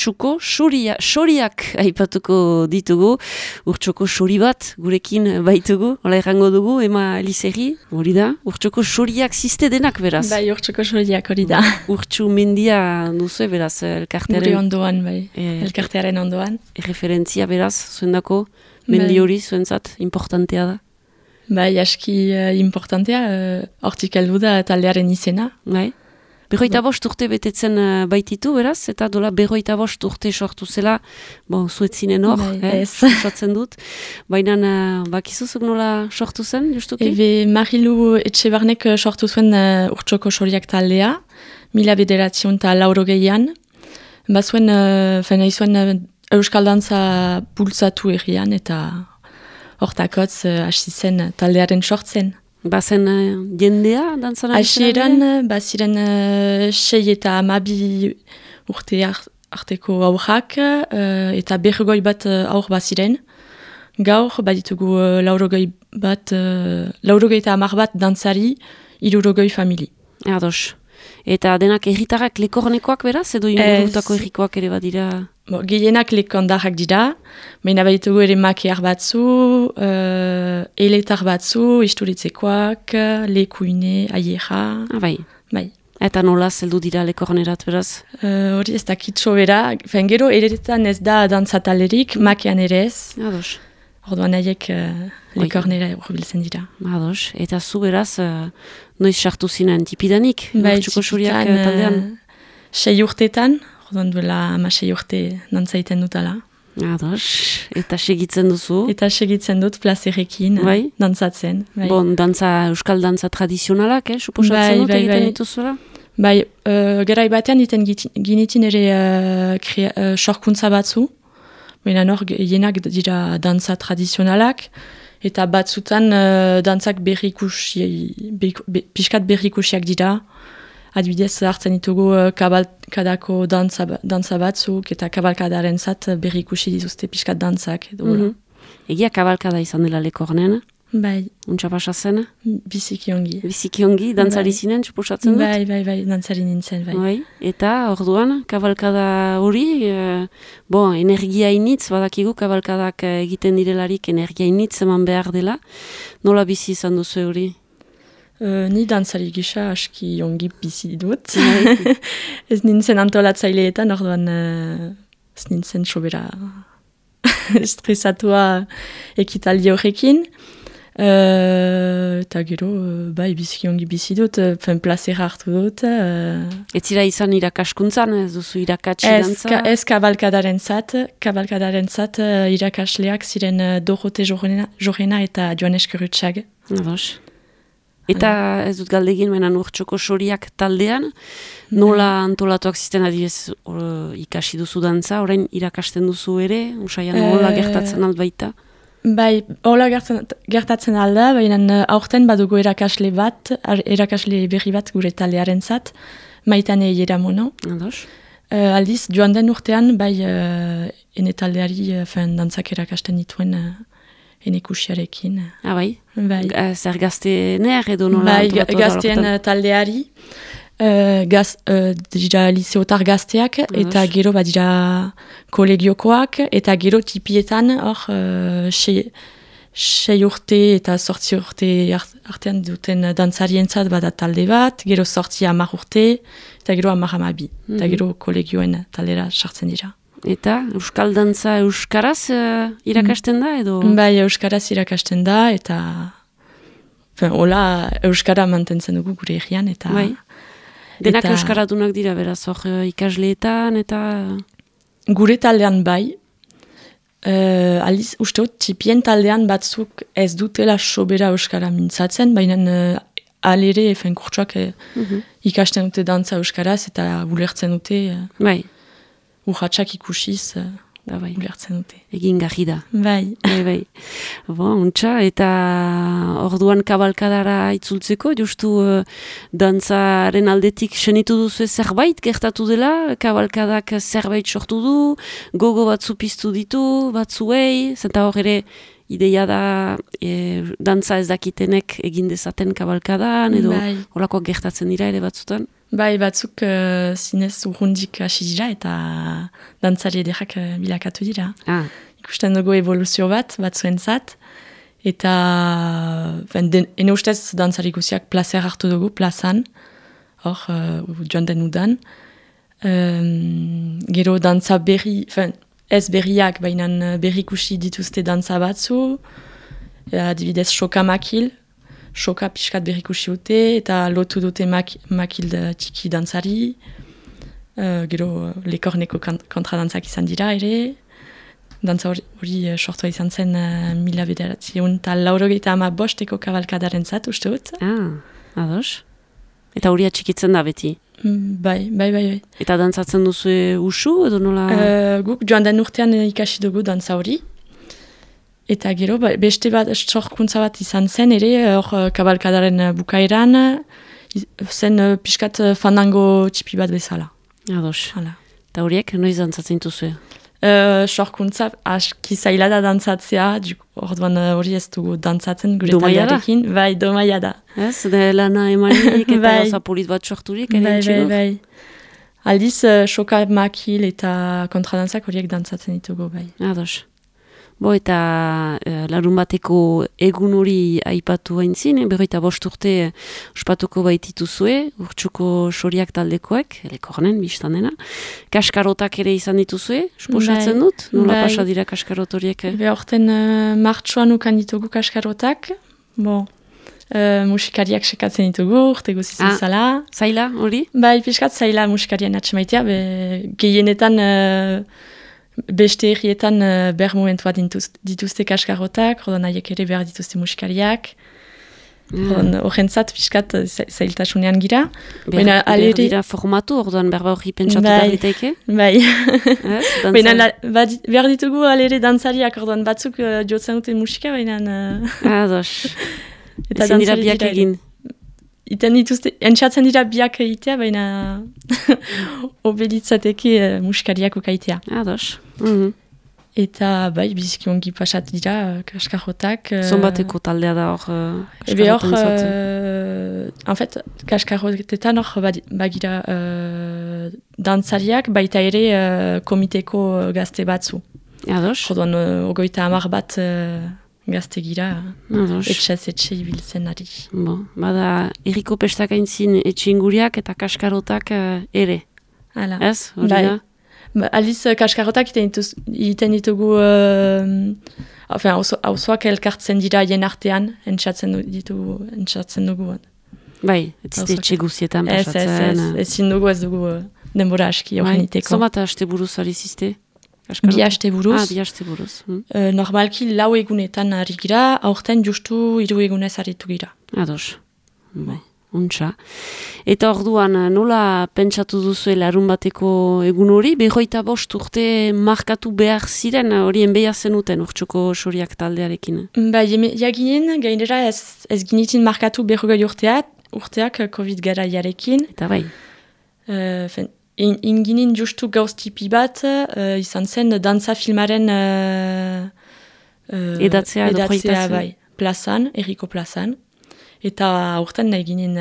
urtsuko soriak aipatuko ditugu. Urtsuko sori bat gurekin baitugu, hola errango dugu, Ema Elizegi, hori da. Urtsuko soriak ziste denak beraz. Bai, urtsuko soriak hori da. Urtsu mendia duzu beraz elkartearen. Gure ondoan, bai, elkartearen ondoan. Referentzia beraz, zuendako, mendi hori zuentzat, importantea da. Bai, aski importantea, hortik heldu da taldearen izena. Bai. 45 urte betetzen baititu, beraz, eta dola 45 urte sortu zela, zuetzinen hor, sortzen dut. Baina, bakizuzuk nola sortu zen, justuki? Marilu Etxebarnek sortu zuen urtsoko soriak taldea, 1980an. Bazuen, izuen euskal dantza bultzatu errian, eta hortakotz hasi zen taldearen sortzen. Bazen jendea dantzan ari zen? Hasieran, baziren 6 eta 12 urte arteko aurrak, eta 40 bat aur baziren. Gaur, baditugu 80 bat, 80 bat dantzari, 60 famili. Ados. Eta denak erritarrak lekornekoak beraz, edo ingurutako errikoak ere badira? Gehienak lekondarrak dira, baina baditugu ere makiar batzu, eletar batzu, isturitzekoak, lekuine, aiera. Bai. Bai. Eta nola zeldu dira lekornerat beraz? Hori ez dakitxo bera, gero eretan ez da dantzatalerik, makian ere ez. Ados. Orduan nahiek lekornera urbiltzen dira. Ados. Eta zu beraz, noiz sartu zinen tipidanik? Bai, tipidan 6 urtetan, orduan duela 6 urte dantzaiten dutala. Ados. Eta segitzen duzu? Eta segitzen dut plazerekin dantzatzen. Bai. Bon, euskal dantza tradizionalak, suposatzen dut egiten dituzuela? Bai, gerai batean iten ginitin ere sorkuntza batzu. Baina hor, jenak dira dantza tradizionalak, eta batzutan dantzak pixkat berrikusiak dira. Adibidez, hartzen ditugu kabalkadako dantza batzuk, eta kabalkadaren zat berrikusi dituzte pixkat dantzak. Egia kabalkada izan dela lekornen? Bai. Untsa pasa zen? Biziki ongi. Biziki ongi, dantzari zinen, suposatzen dut? Bai, dantzari nintzen, bai. Eta, orduan, kabalkada hori, energia initz, badakigu kabalkadak egiten direlarik energia initz eman behar dela. Nola bizi izan duzu hori? Ni dantzari gisa aski ongi bizi dut. Ez nintzen antolatzaileetan, orduan ez nintzen sobera estresatua ekitaldi horrekin. Eta gero, bai, biziki ongi bizi dut, plazera hartu dut. Ez zira izan irakaskuntzan, ez duzu irakatsi dantza? Ez kabalkadaren zat irakasleak ziren Dorote Jorena eta Joan Eskerutxag. Ados. Eta ez dut galdegin, menan urtsoko soriak taldean, nola antolatuak zisten adibidez ikasi duzu dantza, orain irakasten duzu ere, usaian nola gertatzen albaita? Bai, hola gertatzen alda, baina aurten badugu erakasle berri bat gure taldearen zat, Maitane Ieramono. Ados. Aldiz, joan den urtean, bai, ene taldeari dantzak erakasten dituen enekusiarekin. Bai? Bai. Zer gazteener edo nola antolatu da? Bai, gazteen taldeari. Dira liseotar gazteak, eta gero dira kolegiokoak, eta gero tipietan hor 6 urte eta 8 urte artean duten dantzarientzat bada talde bat, gero 10 urte, eta gero 12, eta gero kolegioen taldera sartzen dira. Eta euskal dantza euskaraz irakasten da edo? Bai, euskaraz irakasten da, eta hola euskara mantentzen dugu gure herrian, eta... Bai. Denak euskaradunak dira, beraz, hor ikasleetan, eta... Gure taldean bai. Aliz, usteot, tipien taldean batzuk ez dutela sobera euskara mintzatzen, baina alere, kurtsuak ikasten dute dantza euskaraz, eta ulertzen dute... Bai. Urratxak ikusiz... Ulertzen dute. Egin garri da. Bai. Bai. Untxa, eta orduan kabalkadara itzultzeko, justu dantzaren aldetik senitu duzu zerbait gertatu dela, kabalkadak zerbait sortu du, gogo batzu piztu ditu, batzuei, zenta hor ere ideia da dantza ez dakitenek egin dezaten kabalkadan, edo holakoak gertatzen dira ere batzutan? Bai, batzuk zinez urrundik hasi dira eta dantzari ederrak bilakatu dira. Ikusten dugu evoluzio batzuentzat. Eta ene ustez dantzari guziak placer hartu dugu, plazan. Hor, joan den udan. Gero dantza berri, ez berriak, baina berrikusi dituzte dantza batzu. Adibidez, Soka Makil. Soka pixkat berrikusi dute, eta lotu dute makil txiki dantzari. Gero lekorneko kontradantzak izan dira ere. Dantza hori sortua izan zen 1985 kabalkadaren zat, uste dut. Ados. Eta hori atxikitzen da beti? Bai. Eta dantzatzen duzu usu edo nola? Guk joan den urtean ikasi dugu dantza hori. Eta gero, beste bat sorkuntza bat izan zen ere, hor kabalkadaren bukaeran, zen pixkat fandango txipi bat bezala. Ados. Eta horiek, noiz dantzatzen duzu? Sorkuntza aski zaila da dantzatzea, orduan hori ez dugu dantzatzen gure taldearekin. Bai, domaia da. Ez, lana emanik eta gauza polit bat sorturik. Bai. Aldiz, Soka Makil eta kontradantzak horiek dantzatzen ditugu, bai. Ados. Eta larun bateko egun hori aipatu haintzin, 45 urte ospatuko baitituzue, urtsuko soriak taldekoek, elekornen, biztan dena. Kaskarotak ere izan dituzue, esposatzen dut? Nola pasa dira kaskarot horiek? Horten martxoan ukan ditugu kaskarotak, musikariak sekatzen ditugu, urte guzizen zala. Zaila hori? Bai, pixkat zaila musikarien atxemaitea, gehienetan... Beste herrietan behar momentua dituzte kaskarotak, rodan haiek ere behar dituzte musikariak. Horrentzat, piskat, zailtasunean gira. Behar dira formatu, orduan berba hori pentsatu behar ditaike? Bai. Behar ditugu alere dantzariak, orduan batzuk jotzen dute musika, baina... Ados. Ezin dira biak egin. Iten dituzte, entxatzen dira biak egitea, baina obelitzateke musikariak ukaitea. Ados. Eta bai, biziki ongi pasat dira kaskarotak. Zonbateko taldea da hor kaskarotentzat? En fait, kaskarotetan hor bagira dantzariak, baita ere komiteko gazte batzu. Ados. Joduan, 30 bat... gazte gira, etxe ibiltzen ari. Bada, erriko pestak aintzin etxinguriak eta kaskarotak ere. Hala. Ez? Hori da? Aliz, kaskarotak iten ditugu, hauzoak elkartzen dira jen artean, entxatzen dugu. Bai, ez zite etxe guzietan pasatzen. Ezin dugu ez dugu denbora aski horren iteko. Zomat haste buruz ariz Bi haste buruz. Bi haste buruz. Normalki 4 egunetan ari gira, aurten justu 3 egunez aritu gira. Ados. Untxa. Eta orduan nola pentsatu duzu larun bateko egun hori, 45 urte markatu behar ziren horien behar zenuten urtsuko soriak taldearekin? Jaginen, gainera ez ginitin markatu 40 urteak COVID garaiarekin. Eta bai. Inginin justu gauz tipi bat, izan zen dantza filmaren edatzea bai, plazan, erriko plazan. Eta aurten nahi ginen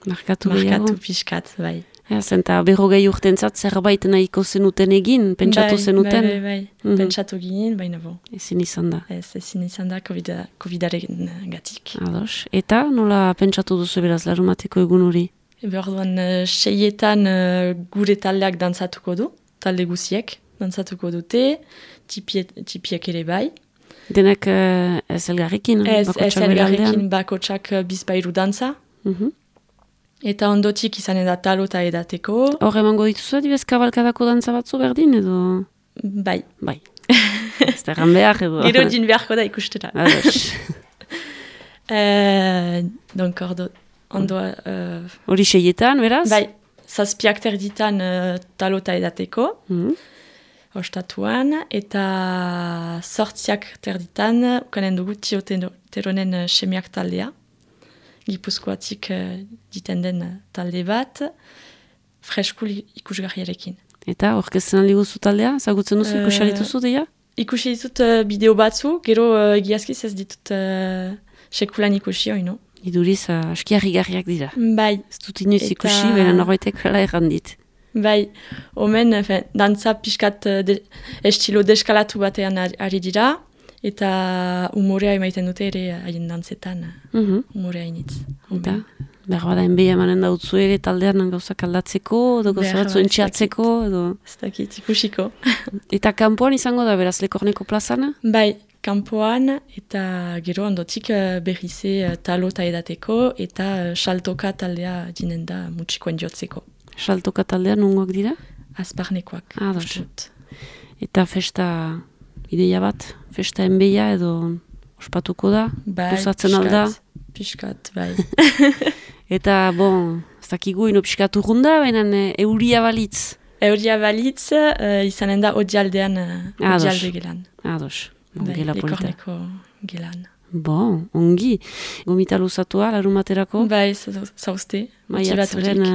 markatu pixkat, bai. Zenta 40 urtentzat zerbait nahiko zenuten egin, pentsatu zenuten? Bai, pentsatu ginen, baina bo. Ezin izan da. Ezin izan da COVID-aren gatik. Ados. Eta nola pentsatu duzu beraz larumateko egun hori? Orduan, 6etan gure taldeak dantzatuko du, talde guziek dantzatuko dute, tipiek ere bai. Denak ez elgarrekin? Ez elgarrekin bakotsak bizpairu dantza. Eta ondotik izan da talo eta edateko. Hor emango dituzu adibez kabalkadako dantza batzu berdin edo? Bai. Ez da erran behar edo? Gero din beharko da ikustera. Ados. Donc, hori 6etan, beraz? Bai, 7 terditan talo eta edateko, ostatuan, eta 8 terditan, ukanen dugu Tioteronen semiak taldea, Gipuzkoatik diten den talde bat, fresku ikusgarriarekin. Eta orkesten aldi guzu taldea? Zagutzen duzu ikusarituzu deia? Ikusi ditut bideo batzu, gero egiazkiz ez ditut sekulan ikusi hori, no? Iduriz, aski harrigarriak dira. Bai. Ez dut inoiz ikusi, baina norbaitek hala errandit. Bai, omen, dantza pixkat estilo deskalatu batean ari dira, eta umorea emaiten dute ere haien dantzetan, umorea initz. Eta, behar bada enbeia emanen dautzu ere taldean gauzak aldatzeko, edo gauza batzu entxeatzeko, edo... Ez dakit, ikusiko. Eta kanpoan izango da, beraz, Lekorneko plazana? Bai, kanpoan, eta gero ondotik berrize talota edateko, eta saltoka taldea dinen da mutxikoen jotzeko. Saltoka taldean nungoak dira? Azparnekoak. Eta festa ideia bat? Festa enbeia edo ospatuko da? Bai, piskat, bai. Eta, bon, ez dakigu ino piskat urrunda, baina euria balitz? Euria balitz, izanen da odialdean, odialde gelan. Ados, bai, gela polita. Lekorneko gelan. Bon, ongi. Gomita luzatua, larun baterako? Bai, zauzte. Maiatzaren...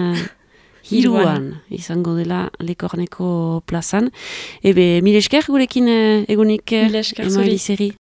Hiruan izango dela Lekorneko plazan. Ebe, mil esker gurekin egunik Mil esker zuri.